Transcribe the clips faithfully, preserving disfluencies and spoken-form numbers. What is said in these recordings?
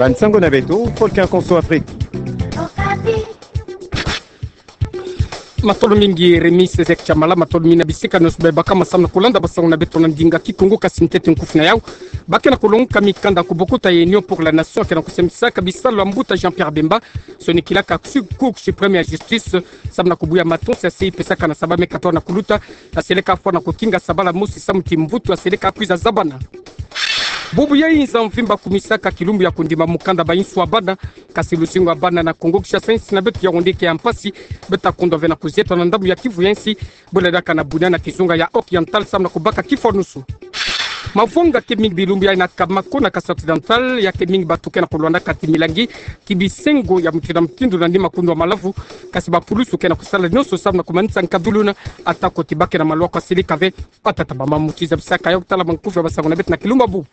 Bansango na beto, Volcan Konso Afrique. Matondo mingi Rémi Césaire Tshamala, matondo mingi na bisika nyonso bebaka masamu na kulanda bansango na beto na ndinga Kikongo. Kasi ntete nkufi na yau, ba ke na kulongoka mikanda ku bokuta ya Union pour la Nation ke na kusambisaka bisalu ya mbuta Jean-Pierre Bemba, sonikilaka Cour suprême ya justice, samu na kubuya matonsi ya se ipesaka na sabala me katoto na kuluta, ya seleka fwa na kukinga sabala mosi samu ti mvutu ya seleka kwiza zabana. Bubu yai nza mvimba akumisaka kilumbu ya kundima mukanda ba insu ya bana, kasi luzingu ya bana na Kongo Kinshasa, insi na beto ya wonde ke ya mpasi. Beto ta kondwa ve na kuzieta na ndambu ya Kivu ya nsi, bole daka na Bunia na kizunga ya Oriental samu na kubaka kifwanusu. Mavwanga ke mingi bilumbu yai na Kamako na Kasai Occidental, ya ke mingi bato ke na kulwandaka ti milangi, ti bisengo ya mutindu na mutindu na nima kundwa malavu, kasi bapulusu ke na kusala nyonso samu na kumanisa nkaduluna, atako ti ba ke na malwa kwa silika ve. Batata bamama, muti zabisaka yau tala mankufi ya bansango na beto na kilumbu ya bubu.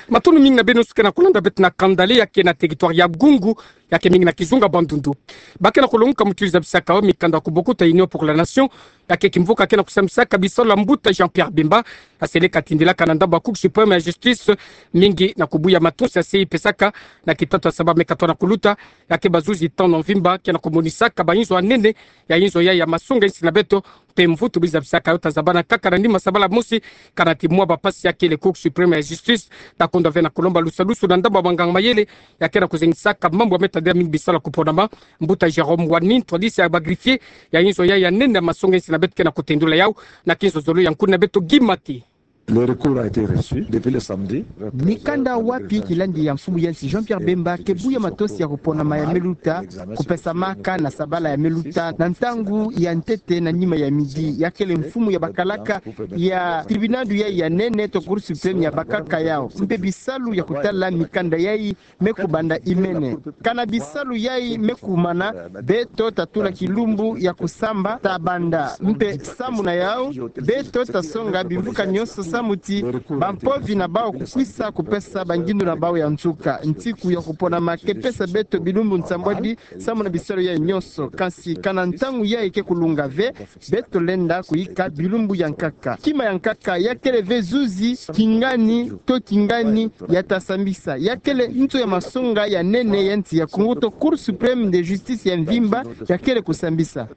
Matondo mingi na beno nyonso ke na kulanda beto na kanda le ya ke na territoire ya Gungu, ya ke mingi na kizunga Bandundu. Ba ke na kulongoka muti zabisaka yau mikanda ku bokuta Union pour la Nation, ya ke kimvuka ke na kusambisaka bisalu ya mbuta Jean-Pierre Bemba, ya seleka tindilaka na ndambu ya Cour suprême ya justice, mingi na kubuya matonsi ya se ipesaka na kitatu ya sabala me katoto na kuluta, ya ke bazuzi tano mvimba ke na kumonisaka ba inzo ya nene, ya inzo ya, ya masonga insi na beto, mpe mvutu bi zabisaka yau ta zabana kaka na nima sabala mosi, kana ti mwa bapasi ya kele Cour suprême ya justice ta kondwa ve na kulomba lusalusu na ndambu ya banganga mayele, ya ke na kuzengisaka mambu ya me tadila mingi bisalu ya kuponama. Mbuta Jérôme Wani, ntwadisi ya ba greffier, ya inzo ya, ya nene ya masonga insi na beto ke na kutendula yau na kinzozolo ya nkuna beto Guy Mate. Le recours a été reçu depuis le samedi. Mikanda wapi kilandi ya mfumu ya nsi Jean-Pierre Bemba ke buya matonsi ya kuponama ya me luta kupesamaka na sabala ya me luta na ntangu ya ntete na nima ya midi. Ya kele mfumu ya bakalaka ya tribunal yai ya nene to Cour suprême ya bakaka yau. Mpe bisalu ya kutala mikanda yai me kubanda imene. Kana bisalu yai me kumana, beto ta tula kilumbu ya kusamba ta banda. Mpe samu na yau, beto ta songa bimvuka nyonso samu ti bampovi na bau kukwisa kupesa bangindu na bau ya nsuka. Nsiku ya kuponama ke pesa beto bilumbu nsambwadi samu na bisalu yai nyonso. Kansi kana ntangu yai ke kulunga ve, beto lenda kuyika bilumbu ya nkaka. Kima ya nkaka ya kele ve zuzi kingani to kingani ya ta sambisa. Ya kele nto ya masonga ya nene ya nsi ya Kongo to Cour suprême de justice ya mvimba ya kele kusambisa.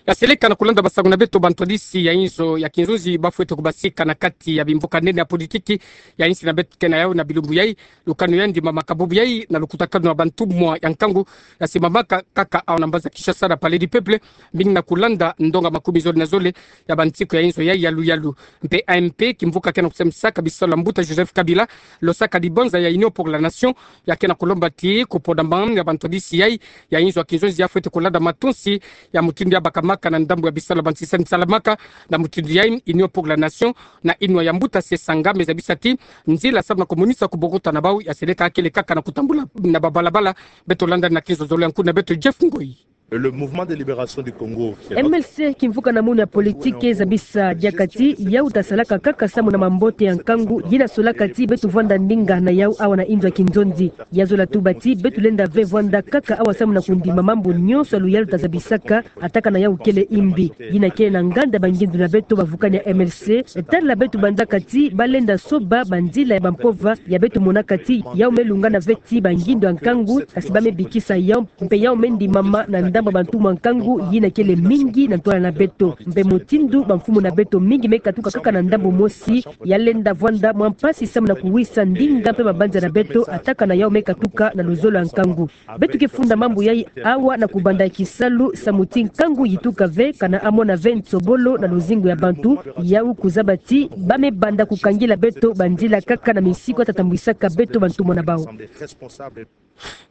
Ya seleka na kulanda bansango na beto, bantwadisi ya inzo ya kinzonzi ba fwete kubasika na kati ya bimvuka nene ya politiki ya insi na beto ke na yau na bilumbu yai. Lukanu ya ndimamaka bubu yai na lukutakanu na bantumwa ya nkangu, ya simamaka kaka awa na mbanza Kinshasa na Palais du Peuple, mingi na kulanda ndonga makumi zole na zole ya bansiku ya inzo yai ya luyalu. Mpe A M P, kimvuka ke na kusambisaka bisalu ya mbuta Joseph Kabila, losaka dibanza ya Union pour la Nation, ya ke na kulomba ti kuponama ya bantwadisi yai ya inzo ya kinzonzi ya fwete kulanda matonsi ya mutindu ya bakamaka na ndambu ya bisalu ya bansisa nsalamaka. Na mutindu yai, Union pour la Nation na inwa ya mbuta Sesanga me zabisa ti nzila samu na kumonisa kubokuta na bau ya seleka kele kaka na kutambula na babalabala. Beto landa na kinzozolo ya nkuna beto Jeff Ngoi. Le Mouvement de Libération du Congo, qui est M L C, kimvuka na munu ya politiki, zabisa diaka ti yau ta salaka kaka samu na mambote ya nkangu, yina solaka ti beto vwanda ndinga na yau awa na inzo ya kinzonzi. Ya zola tuba ti beto lenda ve vwanda kaka awa samu na kundima mambu nyonso ya luyalu ta zabisaka, atakana yau kele imbi. Yina kele na nganda bangindu na beto bavukani ya M L C, tala beto banzaka ti ba lenda soba banzila ya bampova ya beto monaka ti yau me lungana ve ti bangindu ya nkangu, kasi ba me bikisa yau, mpe yau me ndimama na ndambu ya bantumwa ya nkangu yina kele mingi na ntwala na beto. Mpe mutindu bamfumu na beto mingi me katuka kaka na ndambu mosi, ya lenda vwanda mwa mpasi samu na kuwisa ndinga mpe mabanza na beto, atakana yau me katuka na luzolo ya nkangu. Beto ke funda mambu yai awa na kubanda kisalu samu ti nkangu yituka ve, kana amona ve nsobolo na luzingu ya bantu, yau kuzaba ti ba me banda kukangila beto banzila kaka na misiku ya ta tambwisaka beto bantumwa na bau.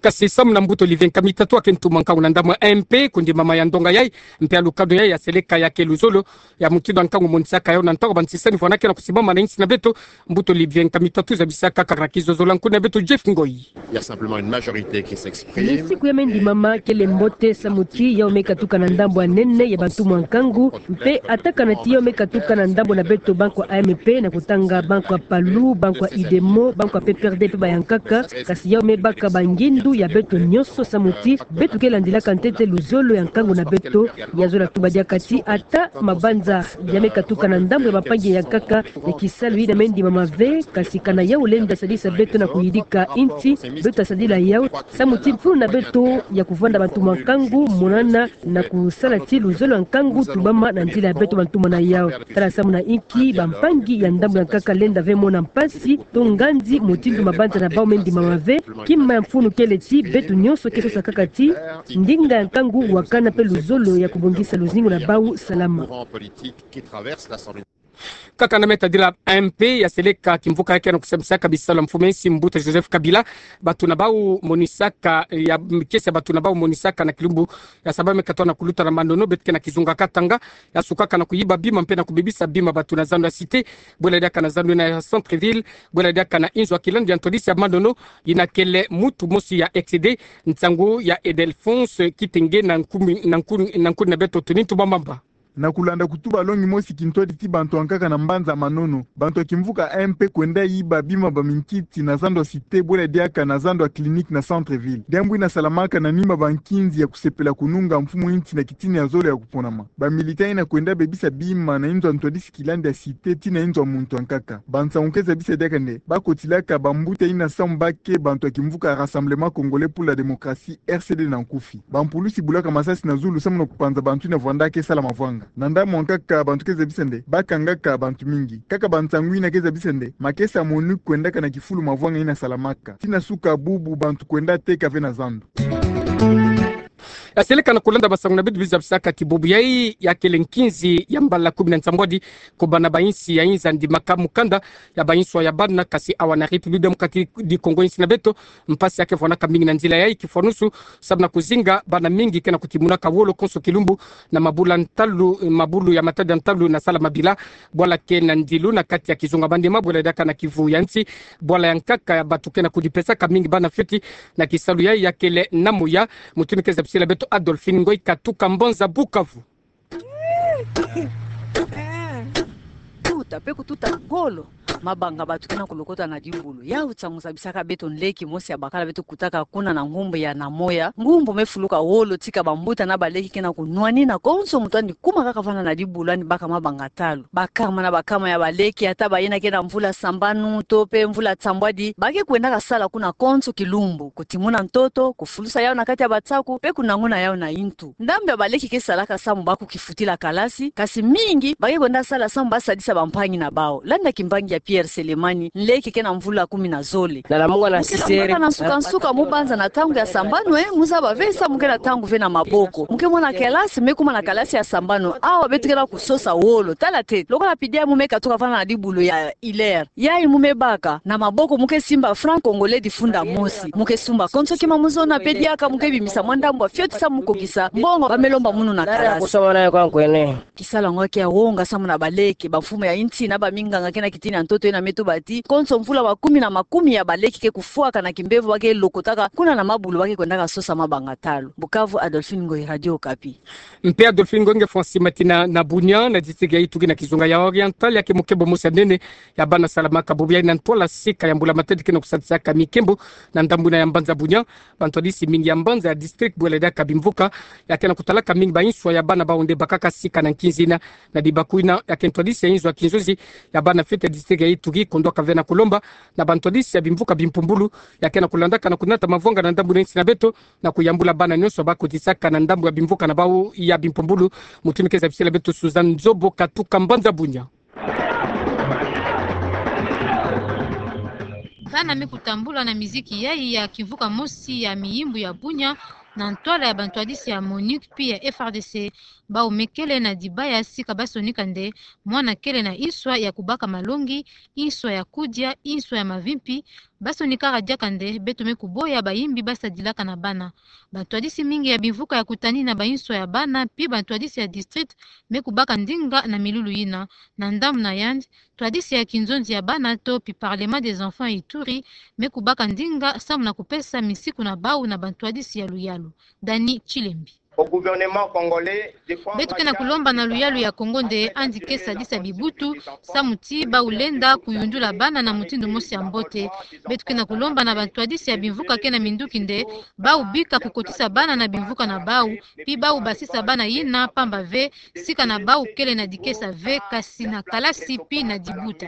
Kasi samu na mbuta Olivier Nkamitatu, ake ntumwa nkangu na ndambu ya M P, kundimama ya ndonga yai mpe ya lukanu yai ya seleka ya ke luzolo ya mutindu ya nkangu monisaka yau na ntangu ya bansisani vwanda ke na kusimama na insi na beto, mbuta Olivier Nkamitatu zabisaka kaka na kinzozolo ya nkuna beto Jeff Ngoi. Il y a simplement une majorité qui s'exprime. Misiku ya me ndimama kele mbote samu ti yau me katuka na ndambu ya nene ya bantumwa ya nkangu, mpe atakana ti yau me katuka na ndambu na beto bankwa A M P, na kutanga bankwa PALU, bankwa UDEMO, bankwa P P R D mpe bayankaka, kasi yau me baka bangi ngindu ya beto nyonso samu ti beto ke landilaka ntete luzolo ya nkangu na beto. Ya zola tuba diaka ti ata mabanza ya me katuka na ndambu ya bampangi ya nkaka ya kisalu yina me ndimama ve, kasi kana yau lenda sadisa beto na kuyidika inti, beto ta sadila yau samu ti mfunu na beto ya kuvanda bantu mwa nkangu monana na kusala ti luzolo ya nkangu tubama na nzila ya beto bantu mona yau. Tala samu na inki bampangi ya ndambu ya nkaka lenda ve mona mpasi to ngandi mutindu mabanza na bau me ndimama ve. Kima ya mfunu kele ti beto nyonso ke sosa kaka ti ndinga ya nkangu wakana pe luzolo ya kubongisa luzingu na bau salama. Kaka na me tadila A M P ya seleka kimvuka ya ke na kusambisaka bisalu ya mfumu ya nsi mbuta Joseph Kabila, bato na bau monisaka ya, kiese ya bato na bau monisaka na kilumbu ya saba me katoa na kuluta na Manono, beto ke na kizunga Katanga, ya sukaka na kuyiba bima mpe na kubebisa bima bato na zando ya Cité, bwela diaka na zando yina ya Centre-Ville, bwela diaka na inzo ya kilandu ya ntwadisi ya Manono, yina kele mutu mosi ya excédé, nsangu ya Edelphonse Kitenge na nkumi, na nkuni, na nkuni na beto Tony Ntumamamba. Na kulanda kutuba longi mosi kintwadi ti bantu ya nkaka na mbanza Manono, bantu ya kimvuka A M P kwenda yiba bima ba minkiti na zando ya Cité, bwela diaka na zando ya Clinique na Centre-Ville. Diambu yina salamaka na nima ba nkinzi ya kusepela kununga mfumu ya nsi na kitini ya zole ya kuponama. Ba militants yina kwenda bebisa bima na inzo ya ntwadisi kilandu ya Cité tii na inzo ya muntu ya nkaka. Bansangu ke zabisa diaka nde ba kotilaka bambuta yina samu ba ke bantu ya kimvuka Rassemblement Congolais pour la Démocratie, R C D na nkufi. Bampulusi bulaka masasi na zulu samu na kupanza bantu yina vwanda ke sala mavwanga. Na ndambu ya nkaka bantu ke zabisa nde ba kangaka bantu mingi. Kaka bansangu yina ke zabisa nde makesa ya MONUC kwendaka na kifulu mavwanga yina salamaka. Tii na suka bubu bantu kwenda teka ve na zando. Ya seleka na kulanda basangu na beto bizabisaka ti bubu yayi ya kele nkinzi ya mbala kumi na nsambwadi, ko bana ba insi ya inza ndimaka mukanda ya ba inswa ya bana, kasi awa na République Démocratique du Congo, insi na beto, mpasi ya ke vwanaka mingi na nzila yayi kifwanusu, samu na kuzinga bana mingi ke na kutimunaka wolo konso kilumbu na mabulu ya ntalu, mabulu ya matadi ya ntalu na sala mabila, bwala ke na ndilu na kati ya kizunga Maniema, bwela diaka na kivu ya nsi, bwala ya nkaka ya bato ke na kudipesaka mingi bana fioti na kisalu yayi ya kele na moya. Mutu ni ke zabisila beto Adolphine Ngoyi Katuka, mbanza Bukavu. Tuta, pe kututa ngolo. Mabanga bato ke na kulokota na dibulu. Yau nsangu zabisaka beto nleki mosi ya bakala beto kutaka kuna na ngumbu ya Namoya. Ngumbu me fuluka wolo, tika bambuta na baleki ke na kunwanina, konso muntu yandi kuma kaka vanda na dibulu yandi baka mabanga talu. Bakama na bakama ya baleki, ata bayina ke na mvula sambanu to pe mvula nsambwadi, ba ke kwendaka sala kuna konso kilumbu, kutimuna ntoto, kufulusa yau na kati ya batsaku, pe kunanguna yau na intu. Ndambu ya baleki ke salaka samu ba kukifutila kalasi, kasi mingi ba ke kwenda sala samu ba sadisa bampangi na bau. Landa kimbangi ya Pierre Selemani, nleki ke na mvula kumi na zole. Mu ke na nsuka-nsuka mu banza na ntangu ya sambanu, eh, mu zaba ve samu ke na ntangu ve na maboko. Mu ke mona kalasi, me kuma na kalasi ya sambanu, awa beto ke na kusosa wolo. Tala ntete, lokola pidi ya mu me katuka vanda na dibulu ya Hilaire. Yayi mu me baka, na maboko mu ke simba franc congolais difunda mosi. Mu ke sumba konso kima mu zona, pe diaka mu ke bimisa mwa ndambu ya fioti samu mu kokisa mbongo ba me lomba munu na kalasi. Kisalu yango ke ya wonga samu na baleki, bamfumu ya insi na baminganga ke na kitini ya ntoto yina me tuba ti, konso mvula makumi na makumi ya baleki ke kufwaka na kimbevo ba ke lokotaka kuna na mabulu ba ke kwendaka sosa mabanga talu. Bukavu, Adolphine Ngoyi, Radio Okapi. Mpe Adolphine Ngoyi, nge fwa nsi matina na Bunia, na district ya Ituri na kizunga ya Oriental, ya ke mokebo mosi ya nene ya bana salamaka bubu yayi na ntwala sika ya mbula-matadi ke na kusadisaka mikembo na ndambu yina ya mbanza Bunia. Bantwadisi mingi ya mbanza ya district, bwela diaka bimvuka, ya ke na kutalaka mingi ba inswa ya bana bau nde bakaka sika na nkinzi yina. Na dibaku yina, ya ke ntwadisi ya inzo ya kinzonzi ya bana fioti ya district ya Ituri kondwaka ve na kulomba na bantwadisi ya bimvuka bimpumbulu ya ke na kulandaka na kunata mavwanga na ndambu na insi na beto, na kuyambula bana nyonso ba kotisaka na ndambu ya bimvuka na bau ya bimpumbulu. Mutu ni ke zabisila beto Suzanne Nzobo Katuka, mbanza Bunia. Bana me kutambula na miziki yayi ya kimvuka mosi ya miyimbu ya Bunia na ntwala ya bantwadisi ya MONUC pi ya F R D C. Bau me kele na dibaya sika ba sonika nde mwana kele na inswa ya kubaka malongi, inswa ya kudia, inswa ya mavimpi. Ba sonikaka diaka nde beto me kuboya bayimbi ba sadilaka na bana. Bantwadisi mingi ya bimvuka ya kutani na ba inswa ya bana, pi bantwadisi ya district me kubaka ndinga na milulu yina. Na ndambu na yandi, ntwadisi ya kinzonzi ya bana to pi Parlement des enfants Ituri me kubaka ndinga samu na kupesa misiku na bau na bantwadisi ya luyalu. Dani Chilembi. Beto ke na kulomba na luyalu ya Kongo nde andi ke sadisa bibutu, samu ti bau lenda kuyundula bana na mutindu mosi ya mbote. Beto ke na kulomba na bantwadisi ya bimvuka ke na minduki nde bau bika kukotisa bana na bimvuka na bau, pi bau basisa bana yina, pamba ve sika na bau kele na dikesa ve, kasi na kalasi pi na dibuta.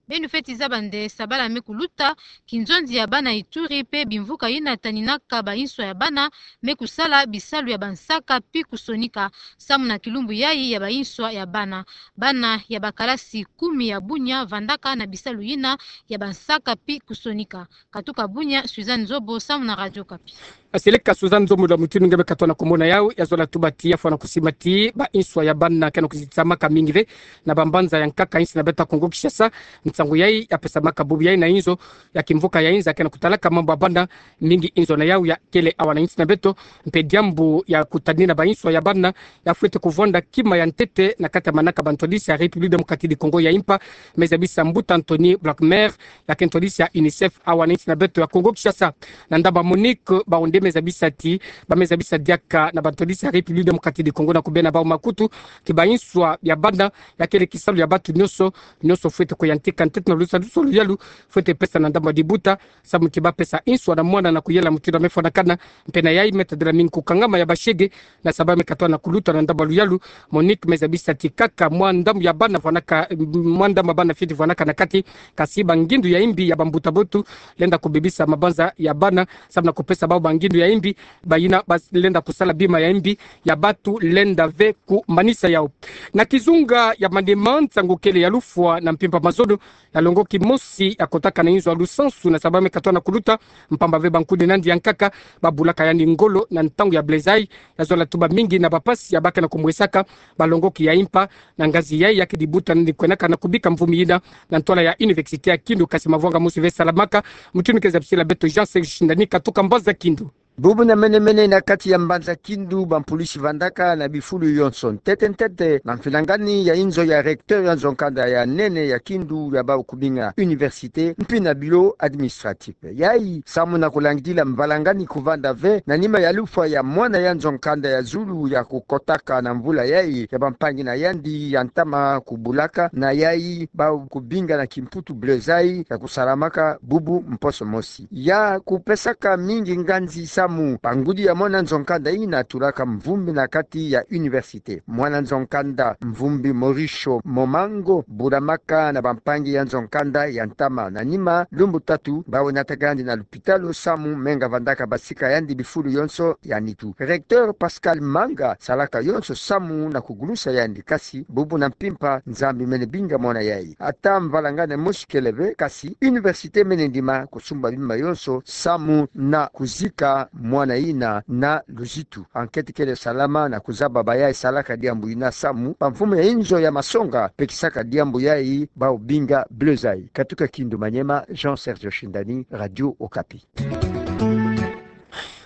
Beno fweti zaba nde sabala me kuluta, kinzonzi ya bana Ituri pe bimvuka yina taninaka bainswa ya bana me kusala bisalu ya bansaka pi kusonika, samu na kilumbu yayi ya bainswa ya bana. Bana ya bakalasi kumi ya Bunia vandaka na bisalu yina ya bansaka pi kusonika. Katuka Bunia, Suzanne Nzobo, samu na Radio Okapi. Seleka Suzanne Nzobo, la mutindu nge me katwa na kumona yau, ya zola tuba ti ya fwana kusima ti bainswa ya bana ke na kuzitamaka mingi ve na bambanza ya nkaka insi na beto ya Kongo Kinshasa. Nsangu yayi ya pesamaka bubu yayi na inzo ya kimvuka ya inza ke na kutalaka mambu ya bana mingi. Inzo na yau ya kele awa na insi na beto, mpe diambu ya kutadina bainswa ya bana ya fwete kuvwanda kima ya ntete na kati ya manaka bantwadisi ya République Démocratique du Congo ya impa, me zabisa mbuta Anthony Blackmer, ya ke ntwadisi ya UNICEF awa na insi na beto ya Kongo Kinshasa. Na ndaba Monique, bau nde me zabisa ti, ba me zabisa diaka na bantwadisi ya République Démocratique du Congo na kubena bau makutu ti bainswa ya bana ya kele kisalu ya batu nyonso. Nyonso fwete kuyantika ntete na lusadusu luyalu fwete pesa na ndaba dibuta, samu ti ba pesa inswa na mwana na kuyela mutindu ya me fwanakana. Mpe na yayi me tadila mingi kukangama ya bashege, na saba me katwa na kuluta na ndaba luyalu. Monique me zabisa ti kaka mwa ndambu ya bana fwanaka, mwa ndambu ya bana fioti fwanaka na kati, kasi bangindu ya imbi ya bambuta botu lenda kubebisa mabanza ya bana, samu na kupesa bau bangindu ya imbi, bayina ba lenda kusala bima ya imbi ya batu lenda ve kumanisa yau. Na kizunga ya Maniema, nsangu kele ya lufwa na mpimpa mazono ya longoki mosi ya kotaka na inzo ya lusansu na saba me katwa na kuluta, mpamba ve bankundi na yandi ya nkaka ba bulaka yandi ngolo na ntangu ya bulezayi. Ya zola tuba mingi na bapasi ya ba ke na kumwesaka balongoki ya impa. Na ngazi yayi ya ke dibuta nani kwenaka na kubika mvumi yina na ntwala ya Université ya Kindu, kasi mavwanga mosi ve salamaka. Mutindu ke zabisila beto Jean Serge Shindani, katuka Mbanza Kindu. Bubu na mene-mene na kati ya Mbanza Kindu, bampulusi vandaka na bifulu yonso. Ntete ntete na mfinangani ya inzo ya recteur ya nzo-nkanda ya nene ya Kindu ya bau kubinga université, mpi na bureau administratif. Yayi samu na kulangidila mvalangani kuvanda ve na nima ya lufwa ya mwana ya nzo-nkanda ya zulu ya kukotaka na mvula yayi ya bampangi na yandi ya ntama kubulaka, na yayi bau kubinga na kimputu bulezayi ya kusalamaka bubu mposo mosi. Ya kupesaka mingi nganzi samu bangudi ya mwana nzo-nkanda yina tulaka mvumbi na kati ya université. Mwana nzo-nkanda mvumbi Morisho Momango bulamaka na bampangi ya nzo-nkanda ya ntama. Na nima lumbu tatu, bawu nataka yandi na lupitalu samu menga vandaka basika yandi bifulu yonso ya nitu. Recteur Pascal Manga salaka yonso samu na kugulusa yandi, kasi bubu na mpimpa Nzambi mene binga mwana yayi. Ata mvalangani mosi kele ve, kasi université mene ndima kusumba bima yonso samu na kuzika mwana yina na luzitu. Enquête kele salama na kuzaba bayayi salaka diambu yina samu bamfumu ya inzo ya masonga pekisaka diambu yayi bau binga bulezayi. Katuka Kindu Maniema, Jean Serge Shindani, Radio Okapi.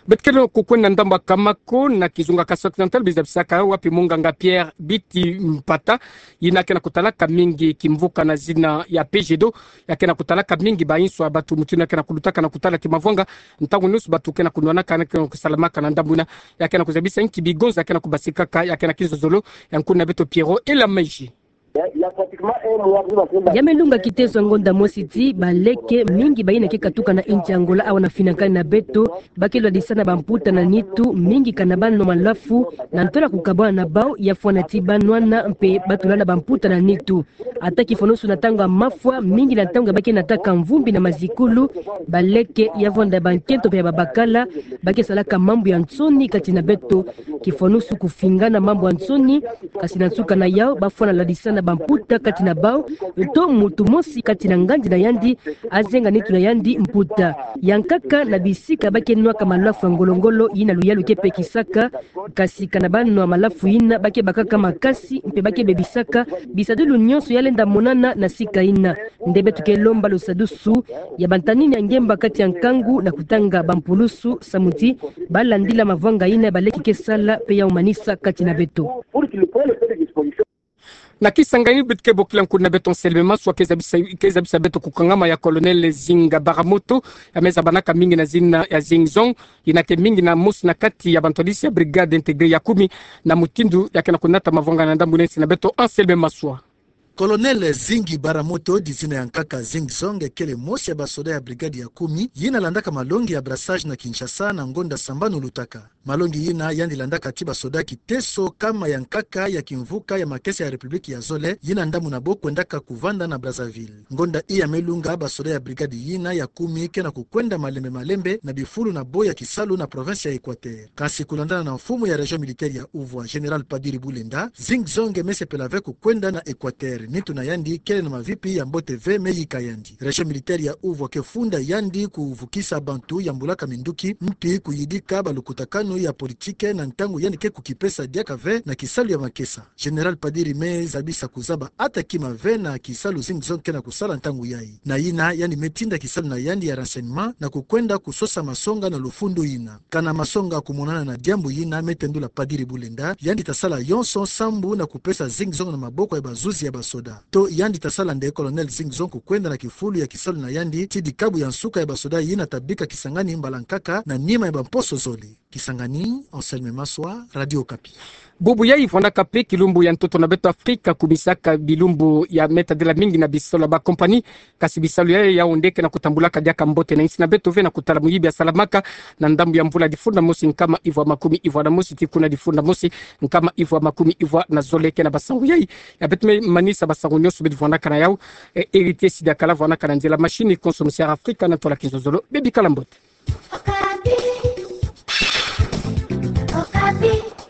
Beto kele kukwenda ndambu ya Kamako na kizunga Kasai Occidental, bizabisaka wapi munganga Pierre Biti Mpata, yina ke na kutalaka mingi kimvuka na zina ya Pejedo, ya ke na kutalaka mingi bainswa batu mutindu ya ke na kulutaka na kutala kimavwanga, ntangu nyonso batu ke na kunwanaka na ke na kusalamaka na ndambu yina. Ya ke na kuzabisa nki bigonza ya ke na kubasikaka, ya ke na kizozolo ya nkuna beto Pierrot Elamaji. Ya me lunga kitezo ya ngonda mosi ti baleke mingi bayina ke katuka na insi ya Angola awa na finakani na beto, ba ke lwadisana bamputa na nitu, mingi kana banwa malafu, na ntola kukabwana na bau, ya fwana ti banwana mpe batulana bamputa na nitu. Ata kifwanusu na ntangu ya mafwa, mingi na ntangu ya ba ke nataka mvumbi na mazikulu, baleke, ya vwanda bankento mpe ya babakala, ba ke salaka mambu ya nsoni kati na beto. Kifwanusu kufingana mambu ya nsoni, kasi na nsuka na yau, ba fwana lwadisana bamputa kati na bau, nto muntu mosi kati na ngandi na yandi azenga nitu na yandi mputa. Ya nkaka na bisika ba ke nwaka malafu ya ngolo-ngolo yina luyalu ke pekisaka, kasi kana banwa malafu yina ba ke bakaka makasi mpe ba ke bebisaka bisadulu nyonso ya lenda monana na sika yina. Nde beto ke lomba lusadusu ya bantanini ya ngemba kati ya nkangu na kutanga bampulusu samu ti ba landila mavwanga yina baleke ke sala mpe ya humanisa kati na beto. Na Kisangani, beto ke bokila nkuna beto Anselme Maswa ke zabisa, ke zabisa beto ku kangama ya Colonel Zinga Baramoto, ya me zabanaka mingi na zina ya Zing Zong, yina ke mingi na mosi na kati ya bantwadisi ya Brigade Intégrée ya kumi, na mutindu ya ke na kunata mavwanga na ndambu na nsi na beto Anselme Maswa. Colonel Zingi Baramoto, di zina ya nkaka Zing Zong, kele mosi ya basoda ya Brigade ya kumi, yina landaka malongi ya brassage na Kinshasa na ngonda sambanu lutaka. Malongi yina yandi landaka ti basoda kiteso kama ya nkaka ya kimvuka ya makesa ya République ya zole, yina ndambu na bo kwendaka kuvanda na Brazzaville. Ngonda iya me lunga, basoda ya Brigade yina ya kumi ke na kukwenda malembe malembe na bifulu na bo ya kisalu na province ya Équateur. Kasi kulandana na mfumu ya Région Militaire ya Ouvwa, Général Padiri Bulenda, Zing Zong me sepela ve kukwenda na Équateur. Nitu na yandi kele na mavipi ya mbote ve me yika yandi. Région Militaire ya Ouvwa ke funda yandi kuvukisa bantu yambulaka minduki, mpi kuyidika balukutakanu ya politique na ntangu yandi ke kukipesa diaka ve na kisalu ya makesa. Général Padiri me zabisa kuzaba ata kima ve na kisalu Zing Zong ke na kusala ntangu yayi. Na yina yandi me tinda kisalu na yandi ya renseignement na kukwenda kusosa masonga na lufundu yina. Kana masonga kumonana na diambu yina, me tendula Padiri Bulenda, yandi ta sala yonso sambu na kupesa Zing Zong na maboko ya bazuzi ya basoda. To yandi ta sala nde, Colonel Zing Zong kukwenda na kifulu ya kisalu na yandi ti dikabu ya nsuka ya basoda yina ta bika Kisangani mbala nkaka na nima ya bamposo zole. Kisangani, Anselme Maswa, Radio Okapi. Bubu yayi vwandaka mpe kilumbu ya ntoto na beto Afrika, kumisaka bilumbu ya me tadila mingi na bisalu ya bakompani, kasi bisalu yayi yawu nde ke na kutambulaka diaka mbote na nsi na beto ve. Na kutala muyibi asalamaka na ndambu ya mvula difunda mosi nkama ivwa makumi ivwa na mosi tii kuna difunda mosi nkama ivwa makumi ivwa na zole. Ke na basangu yayi ya beto me manisa basangu nyonso beto vwandaka na yawu. E, Héritier Sidakala vwandaka na nzila machine, konso misiara Afrika na ntola kinzonzolo. Bebikala mbote. Okapi. Okapi.